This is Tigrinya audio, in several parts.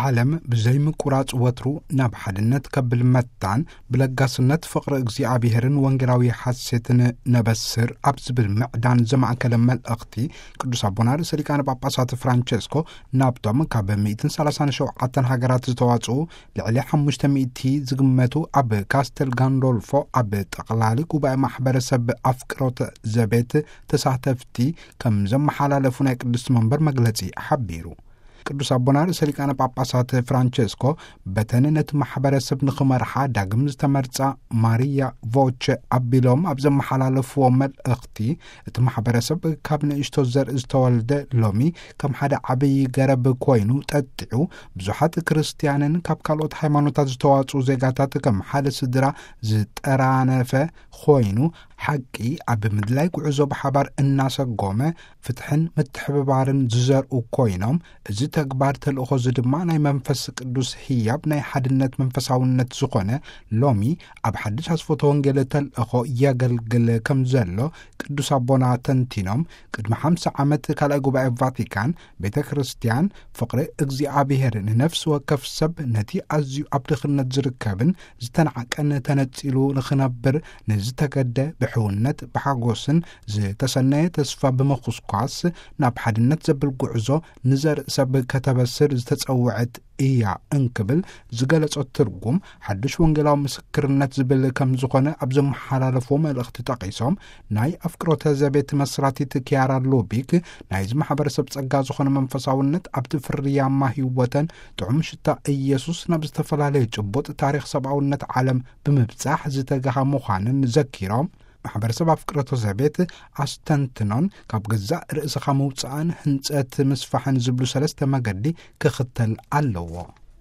ዓለም ብዘይ ምቁራጽ ወትሩ ናብ ሓድነት ከብል መታን ብለጋስነት ፍቕሪ እግዚኣብሔርን ወንጌላዊ ሓሴትን ነበስር ኣብ ዝብል ምዕዳን ዘማእከለ መልእኽቲ፣ ቅዱስ ኣቦና ርእሰ ሊቃነ ጳጳሳት ፍራንቸስኮ ናብቶም ካብ ሚእትን ሰላሳን ሸውዓተን ሃገራት ዝተዋጽኡ ልዕሊ ሓሙሽተ ሚእቲ ዝግመቱ ኣብ ካስተል ጋንዶልፎ ኣብ ጠቕላሊ ጉባኤ ማሕበረሰብ ኣፍቅሮተ ዘቤት ተሳተፍቲ ከም ዘመሓላለፉ ናይ ቅድስቲ መንበር መግለጺ ሓቢሩ። ቅዱስ ኣቦና ርእሰ ሊቃነ ጳጳሳት ፍራንቸስኮ በተን ነቲ ማሕበረሰብ ንኽመርሓ ዳግም ዝተመርጻ ማሪያ ቮቸ ኣቢሎም ኣብ ዘመሓላለፍዎ መልእኽቲ፣ እቲ ማሕበረሰብ ካብ ንእሽቶ ዘርኢ ዝተወልደ ሎሚ ከም ሓደ ዓብዪ ገረብ ኮይኑ ጠጢዑ፣ ብዙሓት ክርስትያንን ካብ ካልኦት ሃይማኖታት ዝተዋጽኡ ዜጋታት ከም ሓደ ስድራ ዝጠራነፈ ኮይኑ፣ ሓቂ ኣብ ምድላይ ጉዕዞ ብሓባር እናሰጎመ ፍትሕን ምትሕብባርን ዝዘርኡ ኮይኖም፣ እዚ ተግባር ተልእኾ እዚ ድማ ናይ መንፈስ ቅዱስ ህያብ ናይ ሓድነት መንፈሳውነት ዝኾነ ሎሚ ኣብ ሓድሽ ኣስፎተ ወንጌል ተልእኾ የገልግል ከም ዘሎ ቅዱስ ኣቦና ተንቲኖም፣ ቅድሚ ሓምሳ ዓመት ካልኣይ ጉባኤ ቫቲካን ቤተ ክርስቲያን ፍቕሪ እግዚኣብሔር ንነፍሲ ወከፍ ሰብ ነቲ ኣዝዩ ኣብ ድኽነት ዝርከብን ዝተናዕቀን ተነጺሉ ንኽነብር ንዝተገደ ብሕውነት ብሓጎስን ዝተሰነየ ተስፋ ብምኹስኳስ ናብ ሓድነት ዘብል ጉዕዞ ንዘርኢ ሰብ ከተበስር ዝተጸውዐት እያ እንክብል ዝገለጾ ትርጉም ሓድሽ ወንጌላዊ ምስክርነት ዝብል ከም ዝኾነ ኣብ ዘመሓላለፍዎ መልእኽቲ ጠቒሶም፣ ናይ ኣፍቅሮተ ዘቤት መስራቲት ኪያራ ሉቢክ ናይዚ ማሕበረሰብ ጸጋ ዝኾነ መንፈሳውነት ኣብቲ ፍርያማ ህይወተን ጥዑም ሽታ ኢየሱስ ናብ ዝተፈላለየ ጭቡጥ ታሪኽ ሰብኣውነት ዓለም ብምብጻሕ ዝተጋሃ ምዃንን ዘኪሮም፣ ማሕበረሰብ ኣፍቅሮተ ዘቤት ኣስተንትኖን ካብ ገዛእ ርእስኻ ምውጻእን ህንጸት ምስፋሕን ዝብሉ ሰለስተ መገዲ ክኽተል ኣለዎ።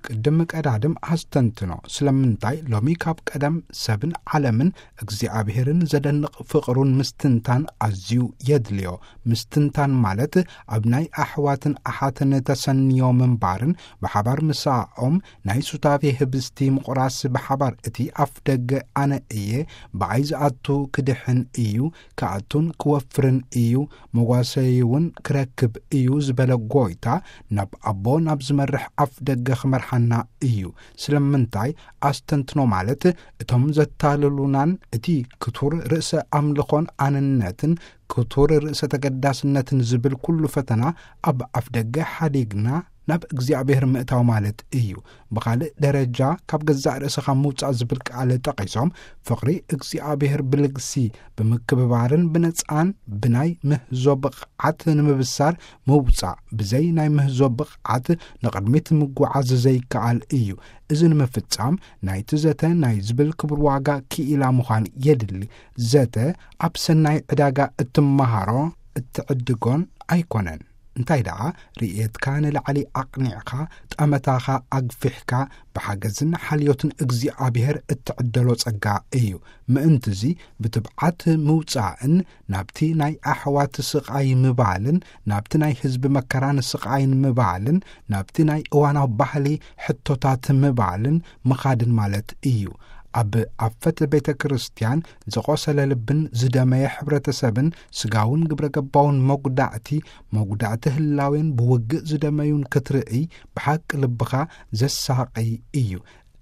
ቅድም ቀዳድም ኣስተንትኖ፣ ስለምንታይ ሎሚ ካብ ቀደም ሰብን ዓለምን እግዚኣብሔርን ዘደንቕ ፍቕሩን ምስትንታን ኣዝዩ የድልዮ። ምስትንታን ማለት ኣብ ናይ ኣሕዋትን ኣሓትን ተሰንዮ ምንባርን ብሓባር ምሳኦም ናይ ሱታፌ ህብስቲ ምቑራስ ብሓባር እቲ ኣፍ ደገ ኣነ እየ፣ ብኣይ ዝኣቱ ክድሕን እዩ፣ ክኣቱን ክወፍርን እዩ፣ መጓሰይውን ክረክብ እዩ ዝበለ ጎይታ፣ ናብ ኣቦ ናብ ዝመርሕ ኣፍ ደገ ክመርሓና እዩ። ስለምንታይ ኣስተንትኖ ማለት እቶም ዘታልሉናን እቲ ክቱር ርእሰ ኣምልኾን ኣንነትን ክቱር ርእሰ ተገዳስነትን ዝብል ኩሉ ፈተና ኣብ ኣፍ ደገ ሓዲግና ናብ እግዚኣብሔር ምእታው ማለት እዩ። ብኻልእ ደረጃ ካብ ገዛእ ርእስኻ ምውጻእ ዝብል ቃል ጠቒሶም፣ ፍቕሪ እግዚኣብሔር ብልግሲ ብምክብባርን ብነጻን ብናይ ምህዞ ብቕዓት ንምብሳር ምውጻእ፣ ብዘይ ናይ ምህዞ ብቕዓት ንቕድሚት ምጉዓዝ ዘይከኣል እዩ። እዚ ንምፍጻም ናይቲ ዘተ ናይ ዝብል ክቡር ዋጋ ክኢላ ምዃን የድሊ። ዘተ ኣብ ሰናይ ዕዳጋ እትመሃሮ እትዕድጎን ኣይኮነን። እንታይ ደኣ ርእየትካ ንላዕሊ ኣቕኒዕካ፣ ጠመታኻ ኣግፊሕካ፣ ብሓገዝን ሓልዮትን እግዚኣብሔር እትዕደሎ ጸጋ እዩ። ምእንትዚ ብትብዓት ምውጻእን ናብቲ ናይ ኣሕዋት ስቓይ ምባልን ናብቲ ናይ ህዝቢ መከራን ስቓይን ምባልን ናብቲ ናይ እዋናዊ ባህሊ ሕቶታት ምባልን ምኻድን ማለት እዩ። ኣብ ኣፈት ቤተ ክርስቲያን ዝቖሰለ ልብን ዝደመየ ሕብረተሰብን ስጋውን ግብረ ገባውን መጉዳእቲ፣ መጉዳእቲ ህላዌን ብውግእ ዝደመዩን ክትርእይ ብሓቂ ልብኻ ዘሳቕይ እዩ።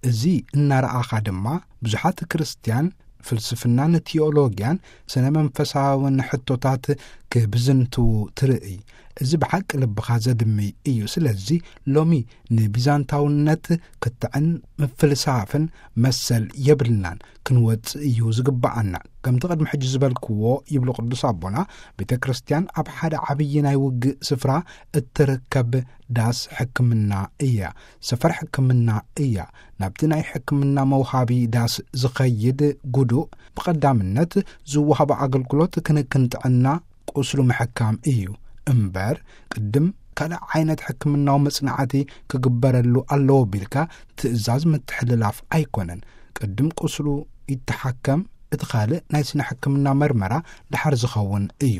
እዚ እናረኣኻ ድማ ብዙሓት ክርስትያን ፍልስፍናን ቲዮሎጊያን ስነ መንፈሳውን ሕቶታት ክብዝንትዉ ትርእይ። እዚ ብሓቂ ልብኻ ዘድምይ እዩ። ስለዚ ሎሚ ንቢዛንታውነት ክትዕን ምፍልሳፍን መሰል የብልናን፣ ክንወጽእ እዩ ዝግብኣና። ከምቲ ቅድሚ ሕጂ ዝበልክዎ ይብሉ ቅዱስ ኣቦና፣ ቤተ ክርስቲያን ኣብ ሓደ ዓብዪ ናይ ውግእ ስፍራ እትርከብ ዳስ ሕክምና እያ፣ ሰፈር ሕክምና እያ። ናብቲ ናይ ሕክምና መውሃቢ ዳስ ዝኸይድ ጉዱእ ብቐዳምነት ዝወሃቦ ኣገልግሎት ክንክን ጥዕና ቁስሉ ምሕካም እዩ እምበር፣ ቅድም ካልእ ዓይነት ሕክምናዊ መጽናዕቲ ክግበረሉ ኣለዎ ቢልካ ትእዛዝ ምትሕልላፍ ኣይኮነን። ቅድም ቁስሉ ይተሓከም፣ እቲ ካልእ ናይ ስነ ሕክምና መርመራ ደሓር ዝኸውን እዩ።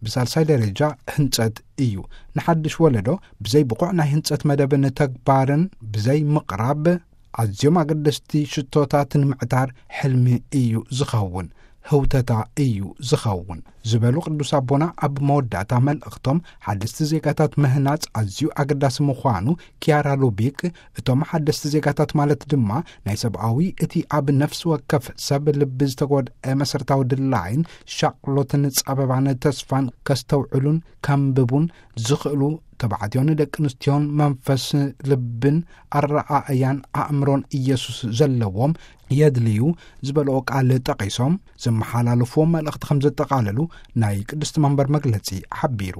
ብሳልሳይ ደረጃ ህንጸት እዩ። ንሓድሽ ወለዶ ብዘይ ብቑዕ ናይ ህንጸት መደብን ተግባርን ብዘይ ምቕራብ ኣዝዮም ኣገደስቲ ሽቶታት ንምዕታር ሕልሚ እዩ ዝኸውን። ህውተታ እዩ ዝኸውን ዝበሉ ቅዱስ ኣቦና፣ ኣብ መወዳእታ መልእኽቶም ሓደስቲ ዜጋታት ምህናጽ ኣዝዩ ኣገዳሲ ምዃኑ፣ ኪያራ ሉቢክ፣ እቶም ሓደስቲ ዜጋታት ማለት ድማ ናይ ሰብኣዊ፣ እቲ ኣብ ነፍሲ ወከፍ ሰብ ልቢ ዝተጎድአ መሰረታዊ ድላይን ሻቕሎትን ጸበባን ተስፋን ከስተውዕሉን ከንብቡን ዝኽእሉ፣ ተባዕትዮን ደቂ ኣንስትዮን መንፈስ፣ ልብን ኣረኣእያን ኣእምሮን ኢየሱስ ዘለዎም የድልዩ ዝበልኦ ቃል ጠቒሶም፣ ዝመሓላለፍዎ መልእኽቲ ከም ዘጠቓለሉ ናይ ቅድስቲ መንበር መግለጺ ሓቢሩ።